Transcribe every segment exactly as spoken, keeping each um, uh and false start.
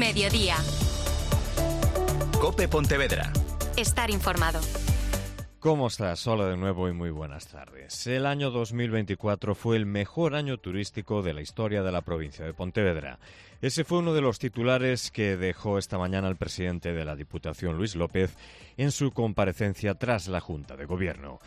Mediodía. COPE Pontevedra. Estar informado. ¿Cómo estás? Hola de nuevo y muy buenas tardes. El año dos mil veinticuatro fue el mejor año turístico de la historia de la provincia de Pontevedra. Ese fue uno de los titulares que dejó esta mañana el presidente de la Diputación, Luis López, en su comparecencia tras la Junta de Gobierno.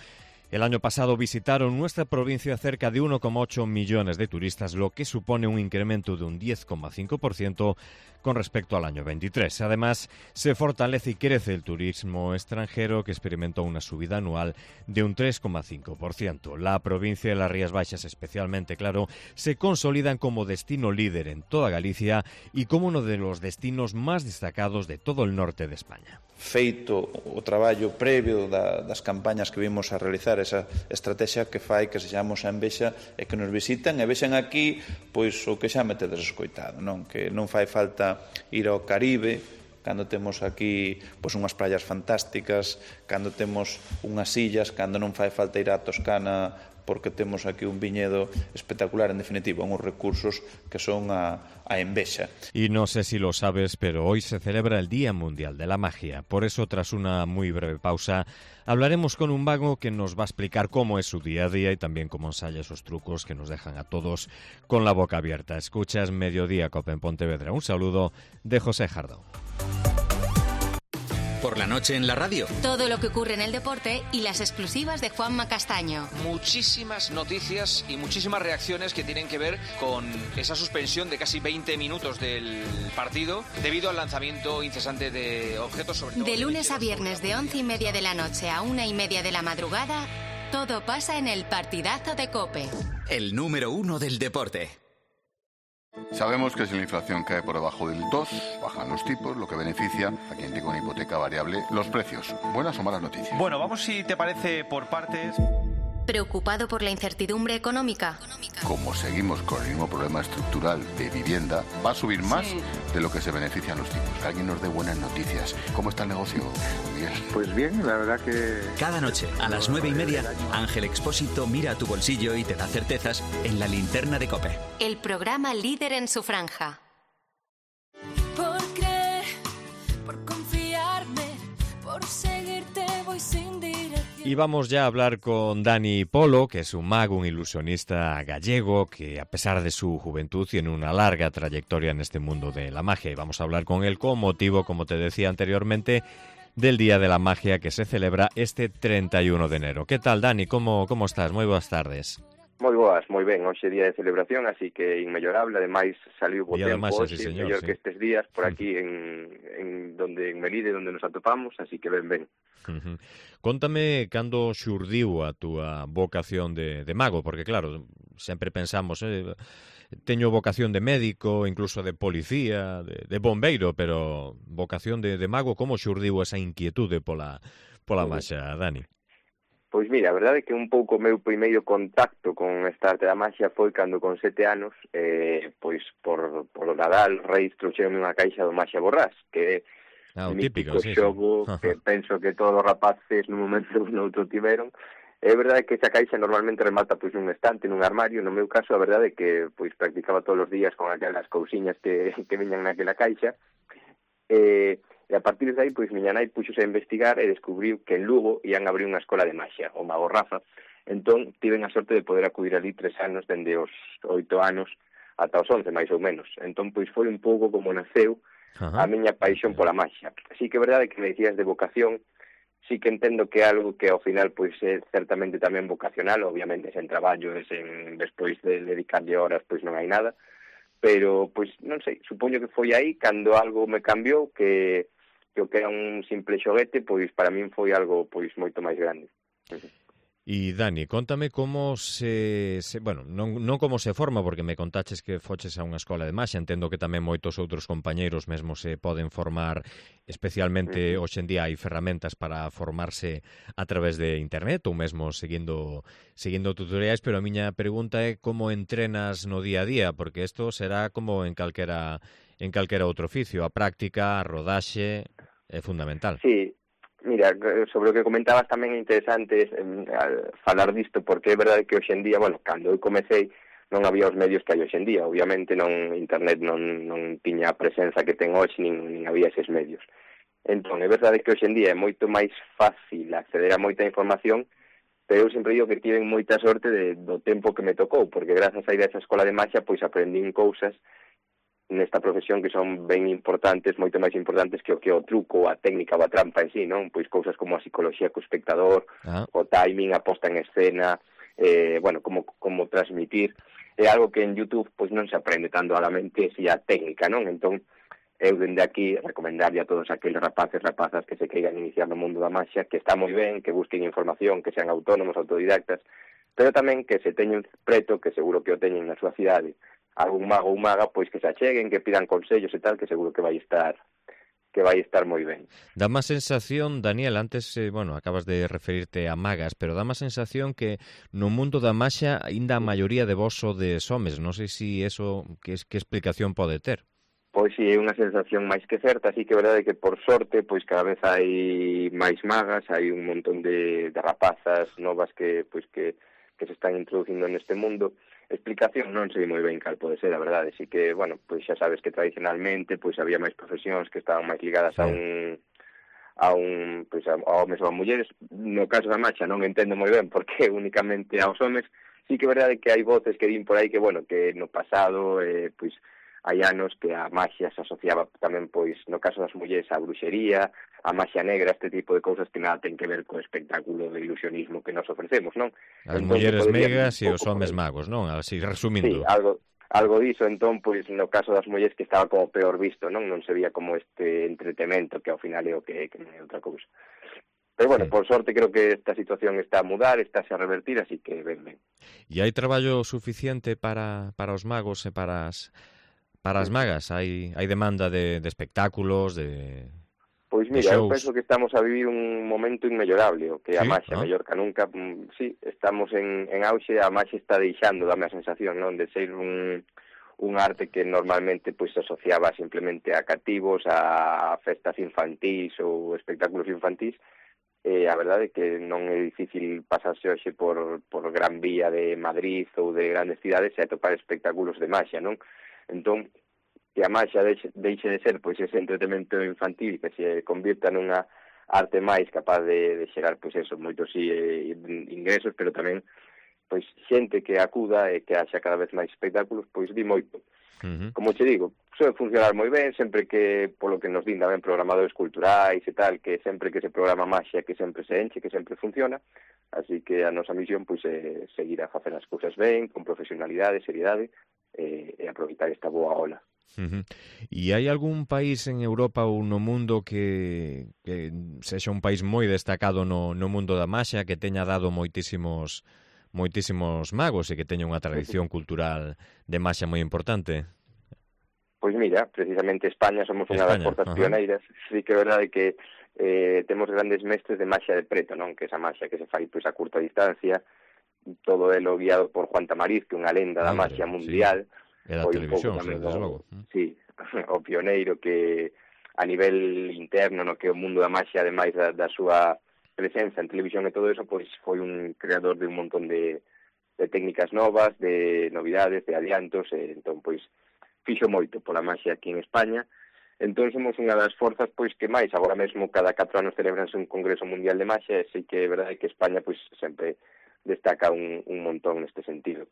El año pasado visitaron nuestra provincia cerca de uno coma ocho millones de turistas, lo que supone un incremento de un diez coma cinco por ciento con respecto al año veintitrés. Además, se fortalece y crece el turismo extranjero, que experimentó una subida anual de un tres coma cinco por ciento. La provincia de las Rías Baixas, especialmente, claro, se consolidan como destino líder en toda Galicia y como uno de los destinos más destacados de todo el norte de España. Feito o traballo previo da, das campañas que vimos a realizar, esa estrategia que fai que se chamamos a envexa e que nos visitan e vexen aquí pois o que xa me tedes escoitado, non? Que non fai falta ir ao Caribe cando temos aquí pois unhas praias fantásticas, cando temos unhas illas, cando non fai falta ir á Toscana porque temos aquí un viñedo espectacular, en definitiva, unos recursos que son a, a envexa. Y no sé si lo sabes, pero hoy se celebra el Día Mundial de la Magia. Por eso, tras una muy breve pausa, hablaremos con un mago que nos va a explicar cómo es su día a día y también cómo ensaya esos trucos que nos dejan a todos con la boca abierta. Escuchas Mediodía COPE en Pontevedra. Un saludo de José Jardón. Por la noche en la radio. Todo lo que ocurre en el deporte y las exclusivas de Juanma Castaño. Muchísimas noticias y muchísimas reacciones que tienen que ver con esa suspensión de casi veinte minutos del partido debido al lanzamiento incesante de objetos sobre todo. De lunes a viernes de once y media de la noche a una y media de la madrugada, todo pasa en el partidazo de COPE. El número uno del deporte. Sabemos que si la inflación cae por debajo del dos, bajan los tipos, lo que beneficia a quien tenga una hipoteca variable los precios. ¿Buenas o malas noticias? Bueno, vamos, si te parece, por partes. ¿Preocupado por la incertidumbre económica? Como seguimos con el mismo problema estructural de vivienda, va a subir más sí. de lo que se benefician los tipos. Que alguien nos dé buenas noticias. ¿Cómo está el negocio, Miguel? Pues bien, la verdad que... Cada noche, a las nueve y media, Ángel Expósito mira a tu bolsillo y te da certezas en la linterna de COPE. El programa líder en su franja. Por creer, por confiarme, por seguirte voy sin dirección. Y vamos ya a hablar con Dani Polo, que es un mago, un ilusionista gallego, que a pesar de su juventud tiene una larga trayectoria en este mundo de la magia. Y vamos a hablar con él con motivo, como te decía anteriormente, del Día de la Magia que se celebra este treinta y uno de enero. ¿Qué tal, Dani? ¿Cómo, cómo estás? Moi boas tardes. Moi boas, moi ben, hoxe é día de celebración, así que inmellorable, ademais saliu bo día tempo hoxe, sí, señor, mellor sí. que estes días por aquí en, en donde en Melide, donde nos atopamos, así que ben ben. Uh-huh. Contame cando xurdiu a túa vocación de, de mago, porque claro, sempre pensamos, eh, teño vocación de médico, incluso de policía, de, de bombeiro, pero vocación de, de mago, como xurdiu esa inquietude pola, pola maxa, Dani? Pois mira, a verdade é que un pouco o meu primeiro contacto con esta arte da maxia foi cando con sete anos, eh, pois por, por o Nadal, Reis trouxeronme unha caixa do Maxia Borrás, que é ah, un típico mítico sí, xogo sí. que penso que todos os rapaces nun momento ou noutro tiveron. É verdade que esa caixa normalmente remata pois nun estante, nun armario. No meu caso, a verdade é que pois practicaba todos os días con aquelas cousiñas que, que viñan naquela caixa. Eh, E a partir de aí, pois, miña nai puxose a investigar e descubriu que en Lugo ian abrir unha escola de maxia, o Mago Rafa. Entón, tiven a sorte de poder acudir ali tres anos, dende os oito anos ata os once, máis ou menos. Entón, pois, foi un pouco como naceu Ajá. a miña paixón pola maxia. Así que é verdade que me dicías de vocación, sí que entendo que é algo que ao final, pois, é certamente tamén vocacional, obviamente, sen traballo, e sen, despois de dedicarlle horas, pois non hai nada. Pero, pois, non sei, supoño que foi aí cando algo me cambiou, que... que o que era un simple xoguete, pois para min foi algo pois moito máis grande. E Dani, contame como se, se bueno, non, non como se forma, porque me contaches que foches a unha escola de maxia, entendo que tamén moitos outros compañeiros mesmo se poden formar, especialmente uh-huh. hoxe en día hai ferramentas para formarse a través de internet ou mesmo seguindo seguindo tutoriais, pero a miña pregunta é como entrenas no día a día, porque isto será como en calquera en calquera outro oficio, a práctica, a rodaxe é fundamental. Sí. Mira, sobre o que comentabas tamén é interesante eh, falar disto, porque é verdade que hoxe en día, bueno, cando eu comecei, non había os medios que hai hoxe en día. Obviamente non internet non, non tiña a presenza que ten hoxe, nin, nin había eses medios. Entón, é verdade que hoxe en día é moito máis fácil acceder a moita información, pero eu sempre digo que tiven moita sorte de, do tempo que me tocou, porque grazas a ir a esa escola de maxia, pois aprendín cousas nesta profesión que son ben importantes, moito máis importantes que o que o truco, a técnica ou a trampa en sí, non? Pois cousas como a psicología co espectador, ah. o timing, a posta en escena, eh, bueno, como, como transmitir. É algo que en YouTube pois non se aprende tanto a la mente, si a técnica, non? Entón, eu dende aquí recomendarlle a todos aqueles rapaces, rapazas que se queigan iniciar no mundo da maxia, que está moi ben, que busquen información, que sean autónomos, autodidactas, pero tamén que se teñen preto, que seguro que o teñen na súa cidade, algún mago ou maga, pois que se acheguen, que pidan consellos e tal, que seguro que vai estar que vai estar moi ben. Dá má sensación, Daniel, antes, eh, bueno, acabas de referirte a magas, pero dá má sensación que no mundo da maxia aínda a maioría de vos sodes homes. Non sei se eso, que, que explicación pode ter. Pois si, é unha sensación máis que certa, así que é verdade que por sorte, pois cada vez hai máis magas, hai un montón de, de rapazas novas que, pois que, que se están introducindo neste mundo. Explicación non sei moi ben cal pode ser, a verdade, así que, bueno, pois xa sabes que tradicionalmente pois había máis profesións que estaban máis ligadas sí. a un a un, pois a, a homes ou a mulleres. No caso da marcha non entendo moi ben porque únicamente aos homes. Sí que é verdade que hai voces que din por aí que, bueno, que no pasado, eh, pois, hai anos que a maxia se asociaba tamén, pois, no caso das mulleres, a bruxería, a maxia negra, este tipo de cousas que nada ten que ver co espectáculo de ilusionismo que nos ofrecemos, non? As mulleres megas e os homes magos, non? Así, resumindo. Sí, algo, algo diso, entón, pois, no caso das mulleres que estaba como peor visto, non? Non se veía como este entretemento que ao final é o que, que non é outra cousa. Pero, bueno, sí. por sorte, creo que esta situación está a mudar, está a revertir, así que ben, ben. E hai traballo suficiente para, para os magos e para as... Para as magas, hai, hai demanda de, de espectáculos, de Pois mira, eu penso que estamos a vivir un momento inmellorable, o que a sí, maxia, ¿no? mellor que nunca, sí, estamos en, en auxe, a maxia está deixando, dame a sensación, non, de ser un, un arte que normalmente pois se asociaba simplemente a cativos, a festas infantís ou espectáculos infantís. Eh, a verdade é que non é difícil pasarse hoxe por, por Gran Vía de Madrid ou de grandes cidades e atopar espectáculos de maxia, non? Entón, que a maxia deixe, deixe de ser pois ese entretenimento infantil que se convirta nunha arte máis capaz de, de xerar pois eso, moitos eh, ingresos, pero tamén pois xente que acuda e que haxa cada vez máis espectáculos, pois di moito. Uh-huh. Como che digo, soe funcionar moi ben, sempre que, polo que nos din tamén programadores culturais e tal, que sempre que se programa maxia, que sempre se enche, que sempre funciona, así que a nosa misión pois é seguir a facer as cousas ben, con profesionalidade, seriedade, e, e aproveitar esta boa ola. Uh-huh. E hai algún país en Europa ou no mundo que, que sexa un país moi destacado no, no mundo da maxia, que teña dado moitísimos moitísimos magos e que teña unha tradición cultural de maxia moi importante? Pois mira, precisamente España somos unha das forzas pioneiras. Sí que é verdade que eh, temos grandes mestres de maxia de preto, non? Que esa maxia que se fai pois a curta distancia, todo elo guiado por Juan Tamariz, que é unha lenda da maxia mundial. Sí. E da televisión, desde logo. Sí, o pioneiro que a nivel interno, no que o mundo da maxia, ademais da, da súa presenza en televisión e todo eso, pois foi un creador de un montón de, de técnicas novas, de novidades, de adiantos, e entón, pois, fixo moito pola maxia aquí en España. Entón, somos unha das forzas, pois, que máis, agora mesmo, cada catro anos celebranse un Congreso Mundial de Maxia, e sei que é verdade que España, pois, sempre destaca un, un montón neste sentido.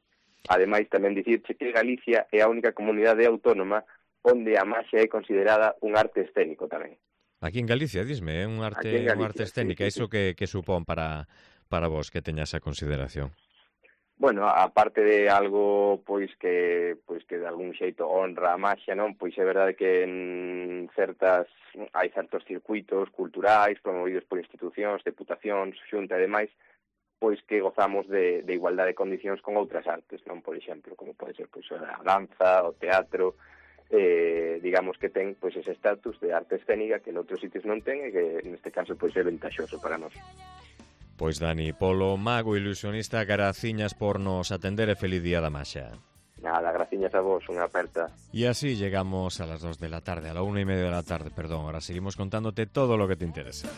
Ademais, tamén dicirche que Galicia é a única comunidade autónoma onde a maxia é considerada un arte escénico tamén. Aquí en Galicia, disme, é un arte, Galicia, un arte escénica, sí, sí, iso que, que supón para, para vos que teña esa consideración? Bueno, aparte de algo pois que pois que de algún xeito honra a maxia, non? Pois é verdade que en certas hai certos circuitos culturais promovidos por institucións, deputacións, xunta e demais, pois que gozamos de, de igualdade de condicións con outras artes, non? Por exemplo, como pode ser pois a danza, o teatro, eh, digamos que ten pois ese estatus de arte escénica que en outros sitios non ten e que neste caso pois é ventaxoso para nós. Pois Dani Polo, mago ilusionista, graciñas por nos atender e feliz día da maxia. Nada, graciñas a vos, unha aperta. Y así llegamos a las dos de la tarde, a la una y media de la tarde, perdón. Ahora seguimos contándote todo lo que te interesa.